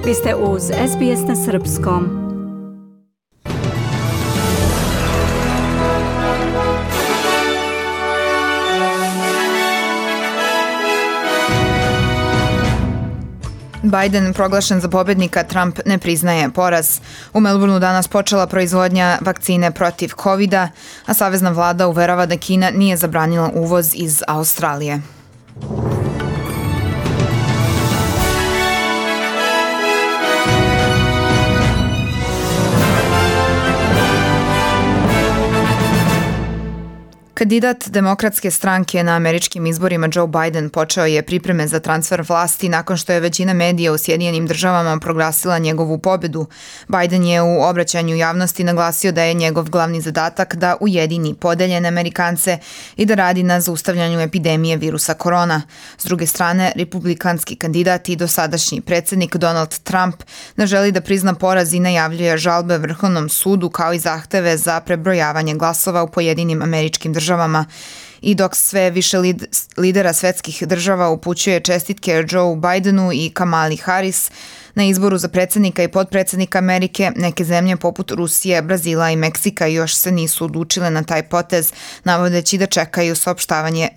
Vi ste uz SBS na Srpskom. Biden proglašen za pobednika, Trump ne priznaje poraz. U Melbourneu danas počela proizvodnja vakcine protiv COVID-a, a savezna vlada uverava da Kina nije zabranila uvoz iz Australije. Kandidat Demokratske stranke na američkim izborima Joe Biden počeo je pripreme za transfer vlasti nakon što je većina medija u Sjedinjenim državama proglasila njegovu pobedu. Biden je u obraćanju javnosti naglasio da je njegov glavni zadatak da ujedini podeljene Amerikance i da radi na zaustavljanju epidemije virusa korona. S druge strane, republikanski kandidat i dosadašnji predsjednik Donald Trump ne želi da prizna poraz i najavljuje žalbe Vrhovnom sudu kao i zahteve za prebrojavanje glasova u pojedinim američkim državama. I dok sve više lidera svetskih država upućuje čestitke Joe Bidenu i Kamali Harris na izboru za predsjednika i potpredsjednika Amerike, neke zemlje poput Rusije, Brazila i Meksika još se nisu odlučile na taj potez, navodeći da čekaju saopštavanje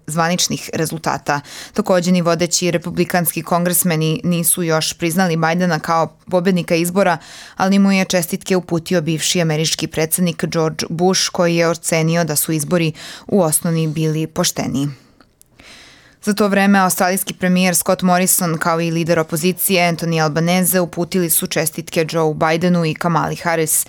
zvaničnih rezultata. Također ni vodeći republikanski kongresmeni nisu još priznali Bidena kao pobednika izbora, ali mu je čestitke uputio bivši američki predsjednik George Bush, koji je ocenio da su izbori u osnovi bili pošteni. Za to vreme, australijski premijer Scott Morrison kao i lider opozicije Anthony Albanese uputili su čestitke Joe Bidenu i Kamali Harris.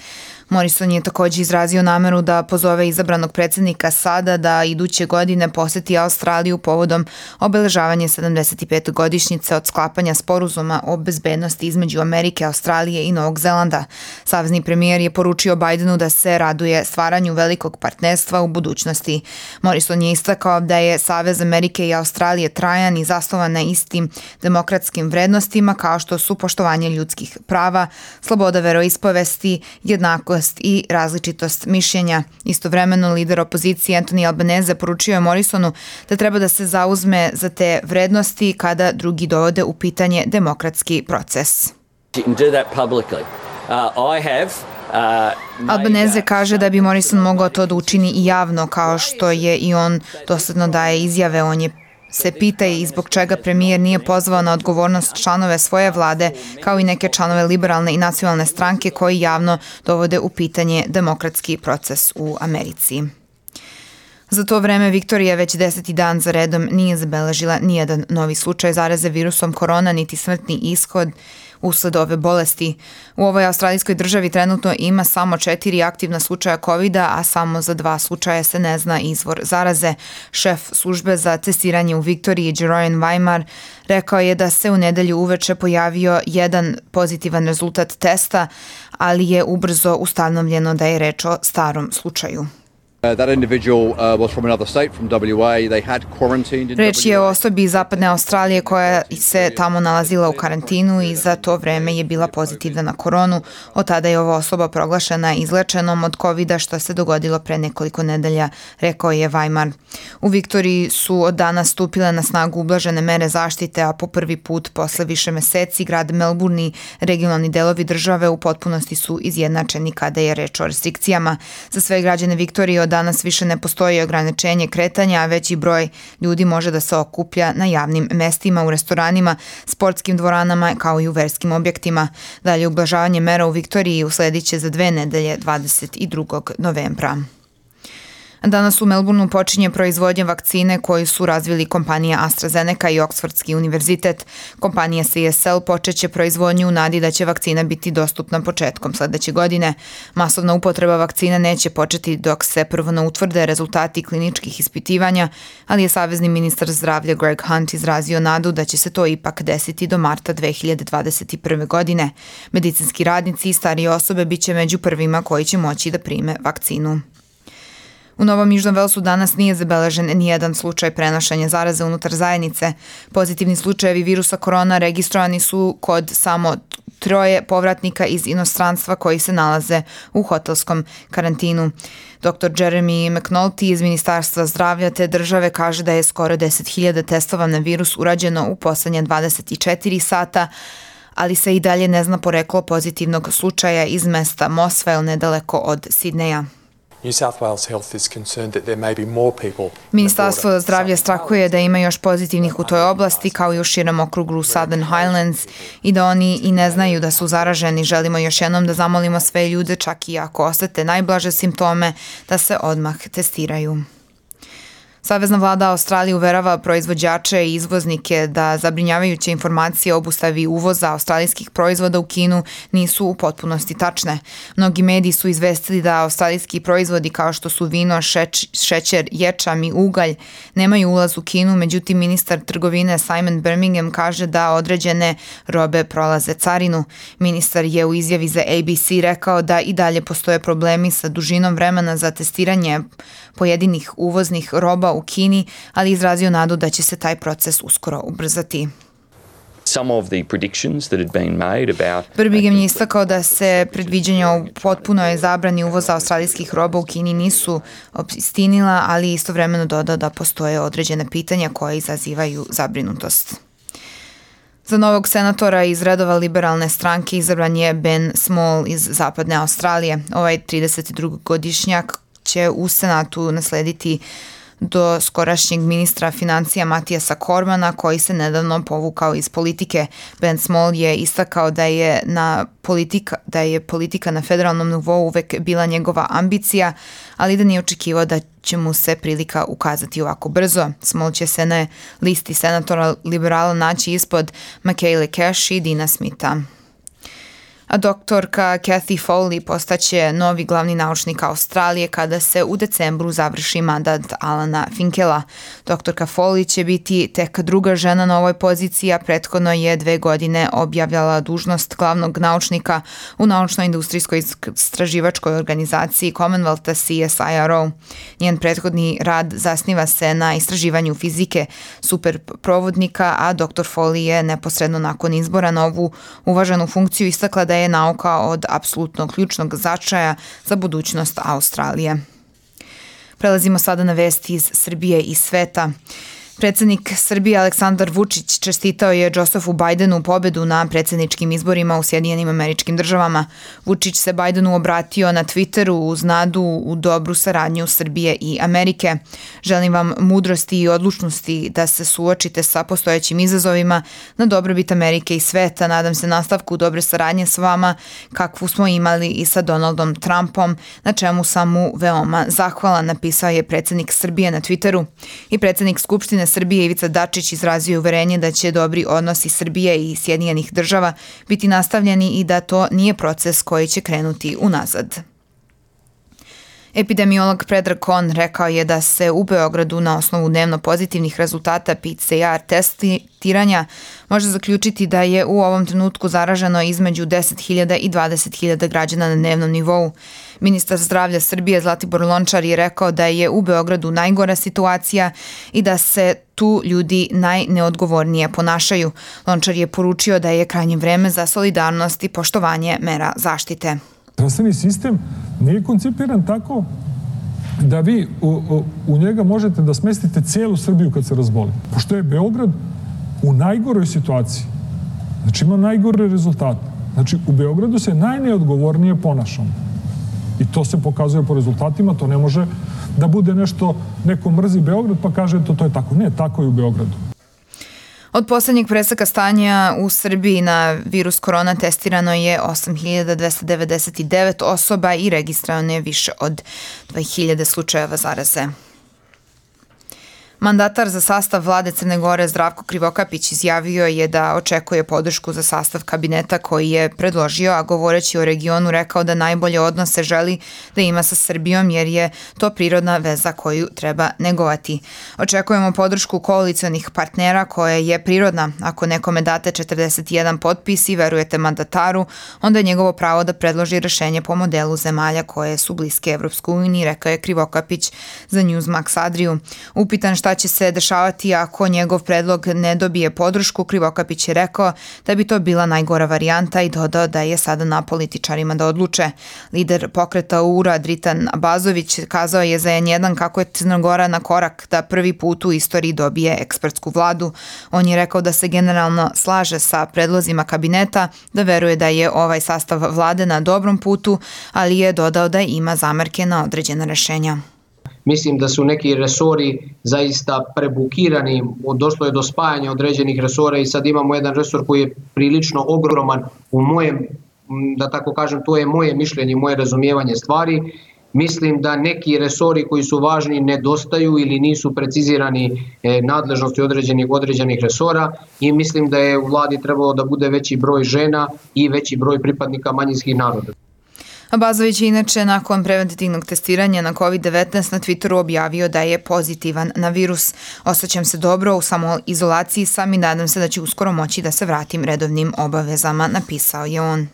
Morrison je također izrazio nameru da pozove izabranog predsjednika sada da iduće godine poseti Australiju povodom obeležavanja 75. godišnjice od sklapanja sporazuma o bezbednosti između Amerike, Australije i Novog Zelanda. Savezni premijer je poručio Bidenu da se raduje stvaranju velikog partnerstva u budućnosti. Morrison je istakao da je Savez Amerike i Australije trajan i zasnovan na istim demokratskim vrednostima kao što su poštovanje ljudskih prava, sloboda veroispovesti, jednakost i različitost mišljenja. Istovremeno, lider opozicije Anthony Albanese poručio je Morrisonu da treba da se zauzme za te vrednosti kada drugi dovode u pitanje demokratski proces. Albanese kaže da bi Morrison mogao to da učini i javno, kao što je i on dosledno daje izjave. On je se pita i zbog čega premijer nije pozvao na odgovornost članove svoje vlade, kao i neke članove liberalne i nacionalne stranke koji javno dovode u pitanje demokratski proces u Americi. Za to vreme Viktorija već 10. dan za redom nije zabeležila nijedan novi slučaj zaraze virusom korona, niti smrtni ishod usled ove bolesti. U ovoj australijskoj državi trenutno ima samo 4 aktivna slučaja COVID-a, a samo za 2 slučaja se ne zna izvor zaraze. Šef službe za testiranje u Viktoriji, Jeroen Weimar, rekao je da se u nedelju uveče pojavio jedan pozitivan rezultat testa, ali je ubrzo ustanovljeno da je reč o starom slučaju. Reč je o osobi iz zapadne Australije koja se tamo nalazila u karantinu i za to vreme je bila pozitivna na koronu. Od tada je ova osoba proglašena izlečenom od COVID-a, što se dogodilo pre nekoliko nedelja, rekao je Weimar. U Viktoriji su od danas stupile na snagu ublažene mere zaštite, a po prvi put posle više meseci grad Melbourne i regionalni delovi države u potpunosti su izjednačeni kada je reč o restrikcijama. Za sve građane Viktorije od danas više ne postoji ograničenje kretanja, a veći broj ljudi može da se okuplja na javnim mestima, u restoranima, sportskim dvoranama kao i u verskim objektima. Dalje ublažavanje mera u Viktoriji usledit će za 2 nedelje 22. novembra. Danas u Melbourneu počinje proizvodnja vakcine koju su razvili kompanija AstraZeneca i Oksfordski univerzitet. Kompanija CSL počeće proizvodnju u nadi da će vakcina biti dostupna početkom sledeće godine. Masovna upotreba vakcina neće početi dok se prvo ne utvrde rezultati kliničkih ispitivanja, ali je savezni ministar zdravlja Greg Hunt izrazio nadu da će se to ipak desiti do marta 2021. godine. Medicinski radnici i starije osobe biće među prvima koji će moći da prime vakcinu. U Novom Južnom Velsu danas nije zabeležen nijedan slučaj prenošenja zaraze unutar zajednice. Pozitivni slučajevi virusa korona registrovani su kod samo 3 povratnika iz inostranstva koji se nalaze u hotelskom karantinu. Dr. Jeremy McNulty iz Ministarstva zdravlja te države kaže da je skoro 10.000 testova na virus urađeno u poslednje 24 sata, ali se i dalje ne zna poreklo pozitivnog slučaja iz mesta Mossvale nedaleko od Sidneja. Ministarstvo zdravlja strahuje da ima još pozitivnih u toj oblasti kao i u širem okrugu Southern Highlands i da oni i ne znaju da su zaraženi. Želimo još jednom da zamolimo sve ljude, čak i ako osete najblaže simptome, da se odmah testiraju. Savezna vlada Australije uverava proizvođače i izvoznike da zabrinjavajuće informacije o obustavi uvoza australijskih proizvoda u Kinu nisu u potpunosti tačne. Mnogi mediji su izvestili da australijski proizvodi kao što su vino, šećer, ječam i ugalj nemaju ulaz u Kinu, međutim ministar trgovine Simon Birmingham kaže da određene robe prolaze carinu. Ministar je u izjavi za ABC rekao da i dalje postoje problemi sa dužinom vremena za testiranje pojedinih uvoznih roba u Kini, ali izrazio nadu da će se taj proces uskoro ubrzati. Birmingham je istakao da se predviđanja o potpunoj zabrani uvoza australijskih roba u Kini nisu obistinila, ali istovremeno dodao da postoje određene pitanja koje izazivaju zabrinutost. Za novog senatora iz redova liberalne stranke izabran je Ben Small iz zapadne Australije. Ovaj 32-godišnjak će u Senatu naslediti do skorašnjeg ministra financija Matijasa Cormana, koji se nedavno povukao iz politike. Ben Small je istakao da je politika na federalnom nivou uvek bila njegova ambicija, ali da nije očekivao da će mu se prilika ukazati ovako brzo. Small će se na listi senatora liberala naći ispod Michaele Cash i Dina Smitha. A doktorka Kathy Foley postaće novi glavni naučnik Australije kada se u decembru završi mandat Alana Finkela. Doktorka Foley će biti tek druga žena na ovoj poziciji, a prethodno je 2 godine objavljala dužnost glavnog naučnika u naučno-industrijskoj istraživačkoj organizaciji Commonwealtha CSIRO. Njen prethodni rad zasniva se na istraživanju fizike superprovodnika, a dr. Foley je neposredno nakon izbora na ovu uvaženu funkciju istakla da je nauka od apsolutno ključnog značaja za budućnost Australije. Prelazimo sada na vesti iz Srbije i sveta. Predsednik Srbije Aleksandar Vučić čestitao je Josefu Bajdenu pobedu na predsjedničkim izborima u Sjedinjenim Američkim Državama. Vučić se Bajdenu obratio na Twitteru uz nadu u dobru saradnju Srbije i Amerike. Želim vam mudrosti i odlučnosti da se suočite sa postojećim izazovima na dobrobit Amerike i sveta. Nadam se nastavku dobre saradnje s vama kakvu smo imali i sa Donaldom Trumpom, na čemu sam mu veoma zahvalan, napisao je predsednik Srbije na Twitteru. I predsednik Skupštine Srbije Ivica Dačić izrazio uverenje da će dobri odnosi Srbije i Sjedinjenih Država biti nastavljeni i da to nije proces koji će krenuti unazad. Epidemiolog Predrag Kon rekao je da se u Beogradu na osnovu dnevno pozitivnih rezultata PCR testiranja može zaključiti da je u ovom trenutku zaraženo između 10.000 i 20.000 građana na dnevnom nivou. Ministar zdravlja Srbije Zlatibor Lončar je rekao da je u Beogradu najgora situacija i da se tu ljudi najneodgovornije ponašaju. Lončar je poručio da je krajnje vreme za solidarnost i poštovanje mera zaštite. Zdravstveni sistem nije koncipiran tako da vi u njega možete da smestite cijelu Srbiju kad se razboli. Pošto je Beograd u najgoroj situaciji, znači ima najgore rezultate. Znači u Beogradu se najneodgovornije ponašamo. I to se pokazuje po rezultatima, to ne može da bude nešto, neko mrzi Beograd pa kaže to je tako. Ne, tako je u Beogradu. Od poslednjeg preseka stanja u Srbiji na virus korona testirano je 8.299 osoba i registrovano je više od 2.000 slučajeva zaraze. Mandatar za sastav vlade Crne Gore Zdravko Krivokapić izjavio je da očekuje podršku za sastav kabineta koji je predložio, a govoreći o regionu rekao da najbolje odnose želi da ima sa Srbijom jer je to prirodna veza koju treba negovati. Očekujemo podršku koalicijonih partnera koja je prirodna. Ako nekome date 41 potpis i verujete mandataru, onda je njegovo pravo da predloži rešenje po modelu zemalja koje su bliske Evropskoj uniji, rekao je Krivokapić za Newsmax Adriju. Upitan šta šta će se dešavati ako njegov predlog ne dobije podršku, Krivokapić je rekao da bi to bila najgora varijanta i dodao da je sada na političarima da odluče. Lider pokreta URA Dritan Abazović kazao je za N1 kako je Crna Gora na korak da prvi put u istoriji dobije ekspertsku vladu. On je rekao da se generalno slaže sa predlozima kabineta, da veruje da je ovaj sastav vlade na dobrom putu, ali je dodao da ima zamerke na određena rešenja. Mislim da su neki resori zaista prebukirani, došlo je do spajanja određenih resora i sad imamo jedan resor koji je prilično ogroman u mojem, da tako kažem, to je moje mišljenje, moje razumijevanje stvari. Mislim da neki resori koji su važni nedostaju ili nisu precizirani nadležnosti određenih resora i mislim da je u vladi trebalo da bude veći broj žena i veći broj pripadnika manjinskih naroda. Abazović je inače nakon preventivnog testiranja na COVID-19 na Twitteru objavio da je pozitivan na virus. Osjećam se dobro, u samoizolaciji sam i nadam se da ću uskoro moći da se vratim redovnim obavezama, napisao je on.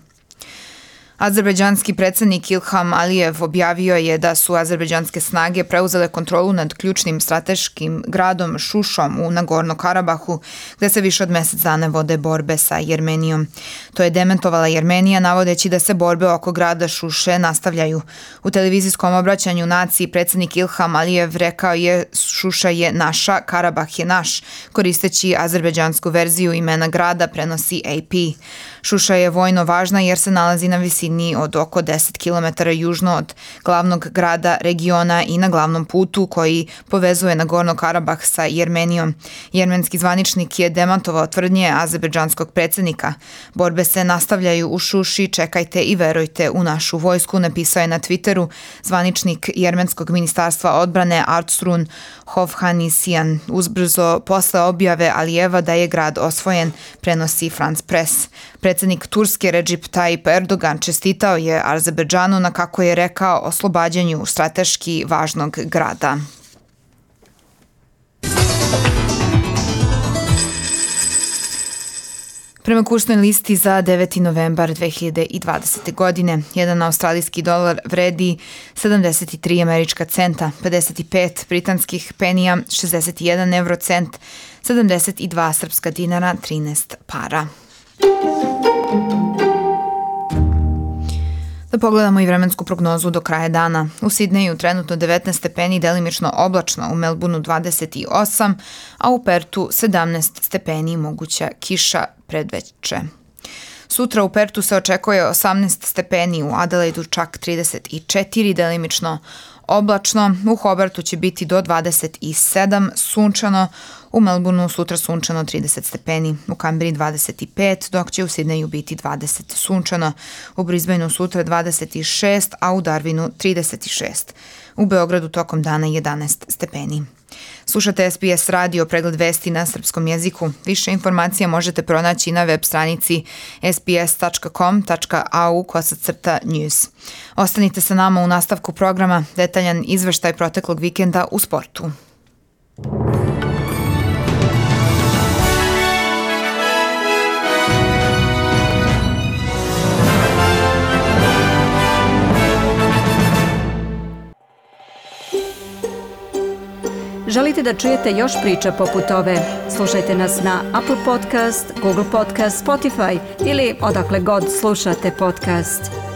Azerbejdžanski predsjednik Ilham Alijev objavio je da su azerbejdžanske snage preuzele kontrolu nad ključnim strateškim gradom Šušom u Nagorno Karabahu, gde se više od mjesec dana vode borbe sa Jermenijom. To je dementovala Jermenija, navodeći da se borbe oko grada Šuše nastavljaju. U televizijskom obraćanju naciji predsjednik Ilham Alijev rekao je Šuša je naša, Karabah je naš, koristeći azerbejdžansku verziju imena grada, prenosi AP. Šuša je vojno važna jer se nalazi na visini od oko 10 km južno od glavnog grada regiona i na glavnom putu koji povezuje Nagorno Karabah sa Jermenijom. Jermenski zvaničnik je demantovao tvrdnje azerbejdžanskog predsjednika. Borbe se nastavljaju u Šuši, čekajte i verujte u našu vojsku, napisao je na Twitteru zvaničnik Jermenskog ministarstva odbrane Artstrun Hovhannisyan uzbrzo posle objave Alijeva da je grad osvojen, prenosi France Press. Predsjednik Turske Recep Tayyip Erdogan čestitao je Azerbejdžanu na, kako je rekao, oslobađanju strateški važnog grada. Prema kursnoj listi za 9. novembar 2020. godine, jedan australijski dolar vredi 73 američka centa, 55 britanskih penija, 61 eurocent, 72 srpska dinara, 13 para. Da pogledamo i vremensku prognozu do kraja dana. U Sidneju trenutno 19 stepeni, delimično oblačno, u Melbourneu 28, a u Pertu 17 stepeni, moguća kiša predveče. Sutra u Pertu se očekuje 18 stepeni, u Adelaidu čak 34, delimično oblačno, u Hobartu će biti do 27, sunčano, u Melbourneu sutra sunčano 30 stepeni, u Kamberi 25, dok će u Sidneju biti 20 sunčano, u Brisbaneu sutra 26, a u Darwinu 36. U Beogradu tokom dana 11 stepeni. Slušate SBS radio, pregled vesti na srpskom jeziku. Više informacija možete pronaći na web stranici sbs.com.au/news. Ostanite sa nama u nastavku programa, detaljan izveštaj proteklog vikenda u sportu. Želite da čujete još priča poput ove? Slušajte nas na Apple Podcast, Google Podcast, Spotify ili odakle god slušate podcast.